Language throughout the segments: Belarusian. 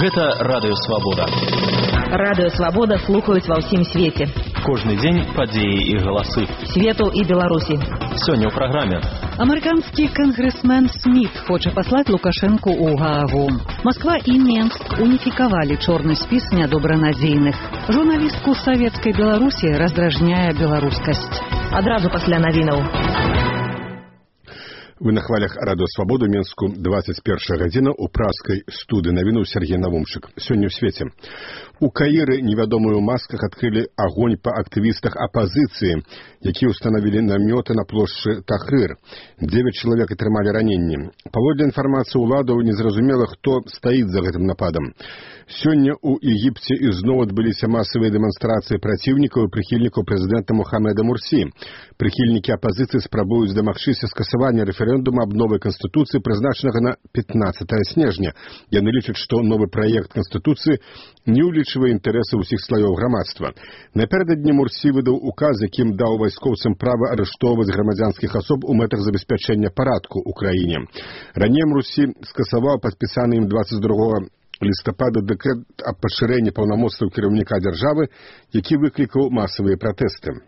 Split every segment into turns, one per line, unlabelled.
Гэта Радыё Свабода.
Радыё Свабода слухаюць ва ўсім свеце.
Кожны дзень падзеі і галасы
Свету і Беларусі.
Сёння ў праграме.
Амерыканскі кангрэсмен Сміт хоча паслаць Лукашэнку ў Гаагу. Москва і Менск уніфікавалі чорны спіс нядобранадзейных. Журналістку савецкай Беларусі раздражняе беларускасць.
Адразу пасля навінаў.
Вы на хвалях Радыё Свабоду, Менску, 21 гадзіна, у праскай студыі навінуў Сергей Навумчык. Сёння ў свеце. У Каіры невядомыя ў масках адкрылі агонь па актывістах апазіцыі, якія ўстанавілі намёты на плошчы Тахрыр. 9 чалавек атрымалі раненні. Паводле інфармацыі ўладаў незразумела, хто стаіць за гэтым нападам. Сёння ў Егіпце ізноў адбыліся масавыя дэманстрацыі праціўнікаў і прыхільнікаў прэзідэнта Мухаммеда Мурсі. Прыхільнікі апазіцыі спрабуюць дамагчыся скасавання рэферэндума аб новай канстытуцыі, прызначанага на 15 снежня. Яны лічаць, што новы праект канстытуцыі не ўлічвае інтарэсы ўсіх слаёў грамадства. Напярэдадні Мурсі выдаў указ, якім даў вайскоўцам права арыштоўваць грамадзянскіх асоб у мэтах забеспячэння парадку ў краіне. Раней Мурсі скасаваў падпісаны ім 22 лістапада дэкрэт аб пашырэнні паўнамоцтваў кіраўніка дзяржавы, які выклікаў масавыя пратэсты.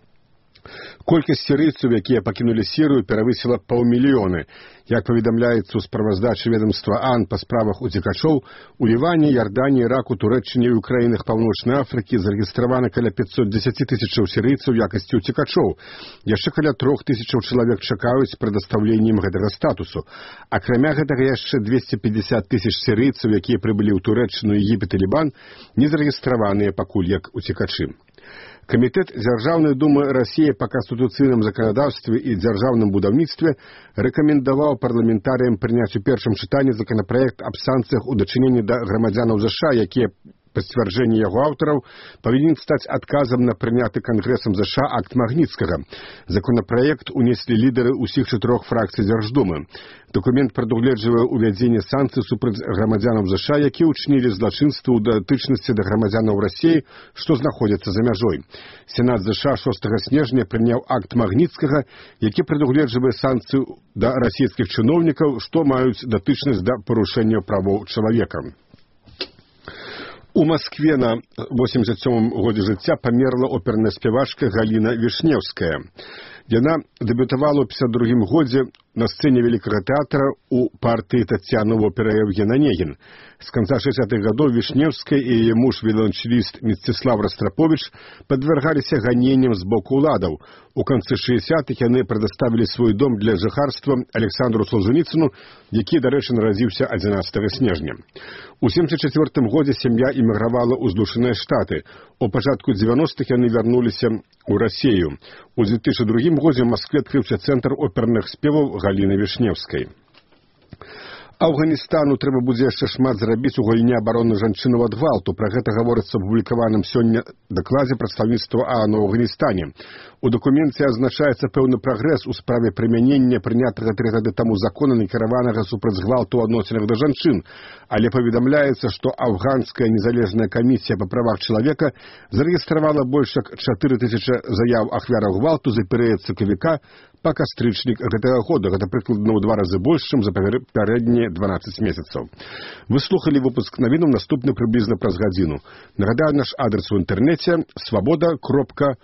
Колькасць сірыйцаў, якія пакінулі Сірыю, перавысіла 500 000. Як паведамляецца ў справаздачы ведомства АН па справах уцекачоў, у Ліване, Ярдані, Іраку, Турэччыне і ў краінах Паўночнай Афрыкі зарэгістравана каля 510 000 сірыйцаў у якасці уцекачоў. Яшчэ каля 3000 чалавек чакаюць прадастаўленнем гэтага статусу. Акрамя гэтага яшчэ 250 000 сірыйцаў, якія прыбылі ў Турэччыну, Егіпет і Лібан, не зарэгістраваныя пакуль як уцекачы. Камітэт Дзяржаўнай думы Расіі па канстытуцыйным заканадаўстве і дзяржаўным будаўніцтве рэкамендаваў парламентарыям прыняць у першым чытанні законапраект аб санкцыях у дачыненні да грамадзянаў ЗША, якія па сцвярджэнні яго аўтараў павінен стаць адказам на прыняты Кангрэсам ЗША акт Магніцкага. Законапраект унеслі лідары ўсіх 4 фракцый Дзярждумы. Дакумент прадугледжвае ўвядзенне санкцый супраць грамадзянаў ЗША, якія ўчынілі злачынствы ў датычнасці да грамадзянаў Расіі, што знаходзяцца за мяжой. Сенат ЗША 6 снежня прыняў акт Магніцкага, які прадугледжвае санкцыю да расійскіх чыноўнікаў, што маюць датычнасць да парушэння правоў чалавека. У Маскве на 87-м годзе жыцця памерла оперная спявачка Галіна Вішнеўская. Яна дэбютавала ў 52-м годзе на сцэне Вялікага тэатра у партыі Таццяны в оперы Евген Онегін. З канца 60-х гадоў Вішнеўская і яе муж віоланчэліст Мсціслав Растраповіч падвяргаліся ганенням з боку ўладаў. У канцы 60-х яны прадаставілі свой дом для жыхарства Александру Солженіцыну, які, дарэчы, нарадзіўся 11 снежня. У 74-м годзе сям'я эмігравала ў Злучаныя Штаты. У пачатку 90-х яны вярнуліся ў Расію. У 2002 годзе ў Маскве адкрыўся цэнтр оперных спеваў Галіны Вішнеўскай. Афганістану трэба будзе яшчэ шмат зрабіць у галіне абароны жанчын ад гвалту. Пра гэта гаворыцца ў апублікаваным сёння дакладзе прадстаўніцтва ААН у Афганістане. У дакуменце азначаецца пэўны прагрэс у справе прымянення прынятага 3 гады таму закона, накіраванага супраць гвалту ў адносінах да жанчын. Але паведамляецца, што афганская незалежная камісія па правах чалавека зарэгістравала больш як 4000 заяў ахвяраў гвалту за перыяд сакавіка па кастрычнік гэтага года. Гэта прыкладна ў 2 разы больш, чым за папярэднія 12 месяцаў. Вы слухалі выпуск навінаў, наступны прыблізна праз гадзіну. Нагадаю, наш адрес у інтэрнэце свабода.орг.